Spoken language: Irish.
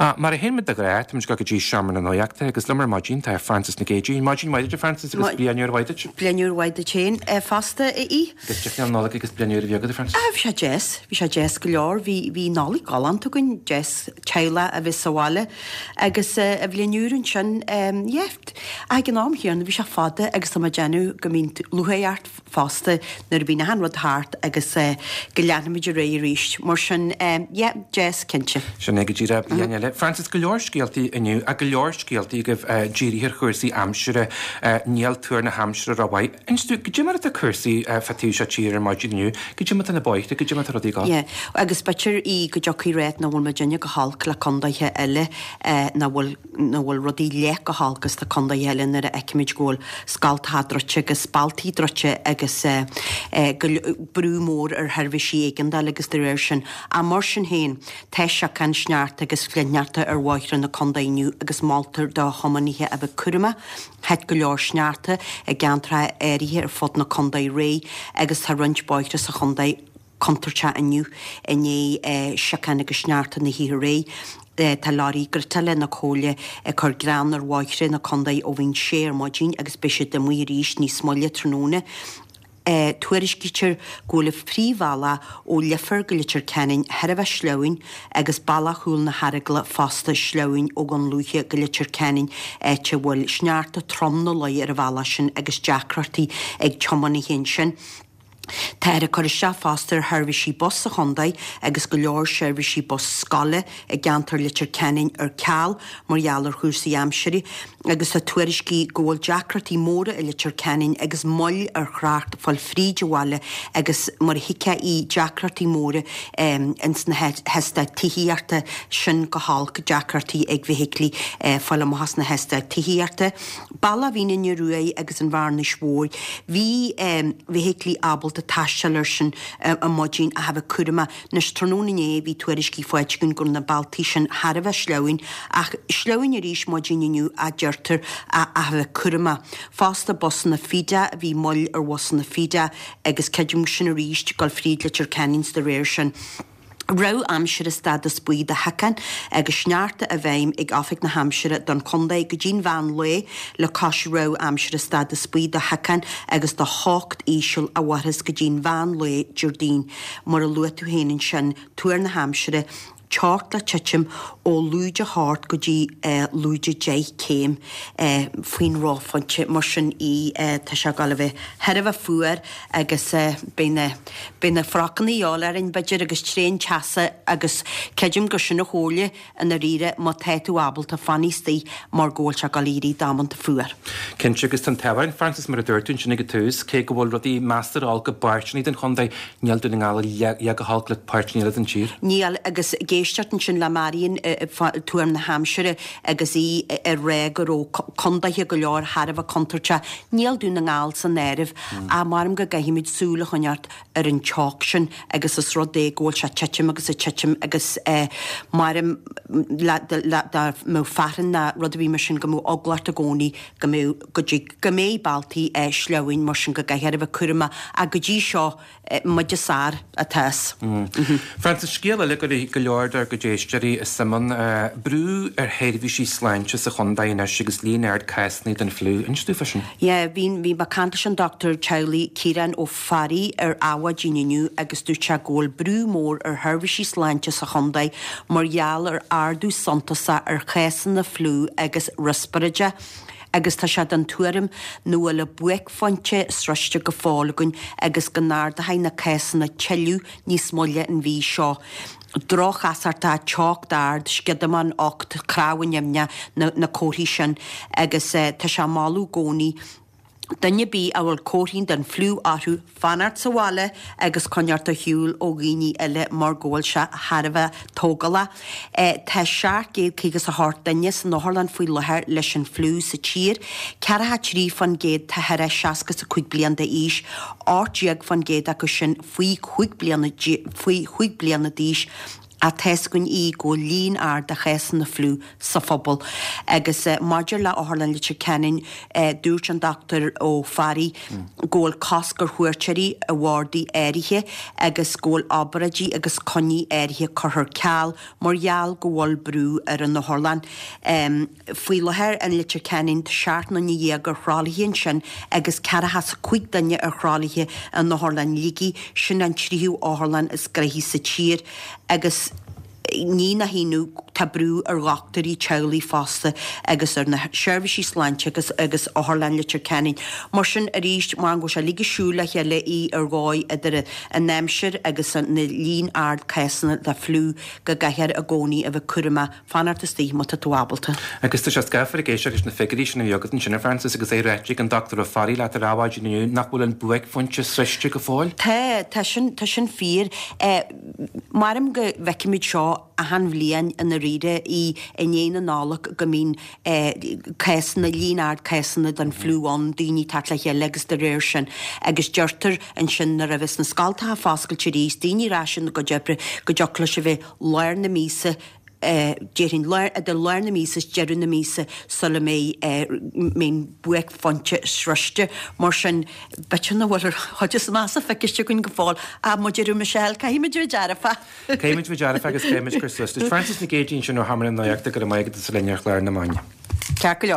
Mar a théann muid de ghnáth, táimid ag dul go dtí Seomra na Nuachta agus liom ar maidin tá Frances Nic Géadaigh. Maidin mhaith duit, a Frances, agus bliain úr mhaith duit. Bliain úr mhaith duit féin fosta, a Aoidh. Agus cad é fán Nollaig agus bliain úr a bhí agat, a Frances? Bhí sé deas, bhí sé deas go leor. Bhí, bhí Nollaig galánta againn, deas teaghlach a bheith sa bhaile agus an bhliain úr ansin, yeah. Ag an am chéanna bhí sé fada agus tá mé ag déanamh go mbíonn lúcháir ort fosta nuair a bhíonn achan rud thart agus go leanfaimid ar aghaidh arís. Mar sin, yeah, deas, cinnte. Sin é go díreach, bliain eile. Frances, go leor scéaltaí inniu, ach go leor scéaltaí agaibh dírithe ar chúrsaí aimsire. Níl tuar na haimsire rómhaith. Inis dúinn, goidé mar atá cúrsaí fá taobh seo tíre ar maidin inniu? Goidé mar atá na bóithre, goidé mar atá rudaí ag dul? Yeah, agus b'fhéidir í go dtiocfaidh ráit nach bhfuil muidinne go holc le condaetha eile nach bhfuil nach bhfuil rudaí leath chomh holc is na condaetha eile nuair a fheicimid go bhfuil scoltacha druidte agus bealtaí druidte agus go brú mór ar sheirbhísí éigeandála agus de réir sin. Ach mar sin féin, tá siocán, sneachta agus flichshneachta ar bhóithre na condae inniu agus moltar do thiománaithe a bheith cúramach. Thit go leor sneachta i gceantracha áirithe ar fud na condae aréir agus tá roinnt bóithre sa chondae contúirteach inniu i ndiaidh siocán agus sneachta na hoíche aréir. Tá leoraí giotála na Comhairle ag cur grean ar bhóithre na condae ó bhí an sé ar maidin agus beidh siad amuigh arís níos moille tráthnóna. Tuairiscítear go bhfuil an phríomhbhealach ó Leifear go Leitir Ceanainn thar a bheith sleamhain agus bealach Chúil na hEaragla fosta sleamhain ó Dhún Lúiche go Leitir Ceanainn áit a bhfuil sneachta trom nó luí ar an bhealach sin agus deacrachtaí ag tiománaithe ansin. Táthar ag cur isteach fosta ar sheirbhísí bus sa chontae agus go leor seirbhísí bus scoile i gceantar Leitir Ceanainn ar ceal mar gheall ar chúrsaí aimsire agus tá tuairiscí go bhfuil deacrachtaí móra i Leitir Ceanainn agus moill ar thrácht fáil fríd an bhaile agus mar a thuigfeá í deacrachtaí móra ins na heastáit tithíochta sin go holc deacrachtaí ag feithiclí fáil amach as na heastáit tithíochta. Bealach Mhín an Ioruaidh agus an Bhearnais Mhóir. Bhí feithiclí ábalta taisteal air sin ar maidin ach a bheith cúramach. Anois, tráthnóna inné bhí tuairiscí faighte againn go raibh na bealtaí sin thar a bheith sleamhain, ach sleamhain arís maidin inniu a deirtear ach a bheith cúramach. Fosta busanna Feeda, bhí moill ar bhusanna Feeda agus creidim sin arís ag dul fríd Leitir Ceanainn 's de réir sin. Rabhadh aimsire stádas buí do shiocán agus sneachta i bhfeidhm ag Oifig na hAimsire don chontae go dtí'n mheán lae le cois rabhadh aimsire stádas buí do shiocán agus do theocht íseal a mhairfeas go dtí'n mheán lae Déardaoin. Mar a luaigh tú féin ansin, tuar na haimsire, teocht le titim ó lúide 8 go dtí lúide 10 céim faoin reophointe. Mar sin í, tá sé ag dul a bheith thar a bheith fuar agus beidh na beidh na frocanna a dhíobháil orainn b'fhéidir agus tréan teasa agus creidim gur sin an chomhairle i ndáiríre má tá tú ábalta fan istigh mar go bhfuil sé ag dul a éirí damanta fuar. Cinnte agus tá an t-ádh orainn, Frances, mar a dúirt tú ansin ag an tús, cé go bhfuil rudaí measartha olc i bpáirteanna den chontae, níl Dún na nGall leath chomh holc le páirteanna eile den tír. Níl, agus ag éisteacht ansin le Marion fá tuar na haimsire agus í ag rá go raibh condaetha go leor thar a bheith contúirteach, níl Dún na nGall san áireamh. Ach maram go gcaithfimid súil a choinneáilt ar an teocht sin agus is rud é go bhfuil sé ag titim agus ag titim agus maram le dá mbeadh fearthainn ná rud ar bith mar sin go mbeadh eagla ort i gcónaí go mbeadh go dtig go mbeidh bealtaí sleamhain mar sin go gcaithfear a bheith cúramach ach go dtí seo muid is fearr atá as. Frances, scéal eile a gcuirfidh go leor dár gcuid éisteoirí suim ann, brú ar sheirbhísí sláinte sa chontae anois agus líon ard cásanna den fliú. Inis dúinn fá sin. Yeah, bhí, bhí mé ag caint leis an Dochtúir Teaghlaigh Ciarán Ó Fearraigh ar Adhmhaidin inniu agus dúirt sé go bhfuil brú mór ar sheirbhísí sláinte sa chontae mar gheall ar ardú suntasach ar chásanna fliú agus riospráide. agus tá sé den tuairim nach bhfuil an buaicphointe sroiste go fóill againn agus go n-ardóidh na cásanna tuilleadh níos moille an mhí seo. Droch-chasachtach, teocht ard, sciodamán ucht, cnámha nimhneach, na comharthaí sin agus tá sé ag moladh i gcónaí duine ar bith a bhfuil comharthaí den fliú orthu fanacht sa bhaile agus coinneáilt ar shiúl ó dhaoine eile mar go bhfuil sé thar a bheith tógálach. Tá 758 duine san otharlann faoi láthair leis an fliú sa tír, 43% tá thar 65 bliain d'aois, 18% acu sin faoi chúig bliana faoi chúig bliana d'aois. Ach tá's againn í go bhfuil líon ard de chásanna fliú sa phobal. Agus maidir le Otharlann Leitir Ceanainn, dúirt an Dr Ó Fearraigh go bhfuil cosc ar chuairteoirí i bhardaí áirithe agus go bhfuil obráidí agus coinní áirithe curtha ar ceal mar gheall go bhfuil brú ar an otharlann. Faoi láthair in Leitir Ceanainn tá 17 nduine ar thralaithe ansin agus 45 duine ar thralaithe in Otharlann Shligigh, sin an tríú otharlann is gnoithí sa tír agus ní nach ionadh tá brú ar dhochtúirí teaghlaigh fosta agus ar na seirbhísí sláinte agus agus Otharlann Leitir Ceanainn. Mar sin arís, mar go bhfuil sé uilig ag siúl le chéile í ar dhóigh idir an aimsir agus an líon ard cásanna de fliú go gcaithfear i gcónaí a bheith cúramach Fanacht istigh má tá tú ábalta. Agus tá sé scáfar ag éisteacht leis na figiúirí sin a bhí agat ansin, a Frances, agus é ráite ag an Dr Ó Fearraigh leat ar maidin inniu nach bhfuil an buaicphointe sroiste go fóill. Tá, tá sin, tá sin fíor. Maram go bhfeicimid seo achan bhliain i ndáiríre i i ndiaidh na Nollag go mbíonn cásanna, líon ard cásanna den fliú ann, daoine ag teacht le chéile agus de réir sin agus deirtear ansin nuair a bheas na scoltacha foscailte arís, daoine ar ais ina gcuid oibre, go dtiocfadh leis a bheith lár na míosa, déarfainn, idir lár na míosa is deireadh na míosa sula mbeidh an buaicphointe sroiste. Mar sin, b'fhéidir nach bhfuil an chuid is measa feicthe againn go fóill. Ach mar a deir Michelle, caithfidh muid a bheith dearfach. Caithfidh muid a bheith dearfach agus caithfidh muid cur suas leis. Frances Nic Géadaigh ansin ó Sheomra na Nuachta, go raibh maith agat as a bheith linn ar chlár na maidine. Ceart go leor.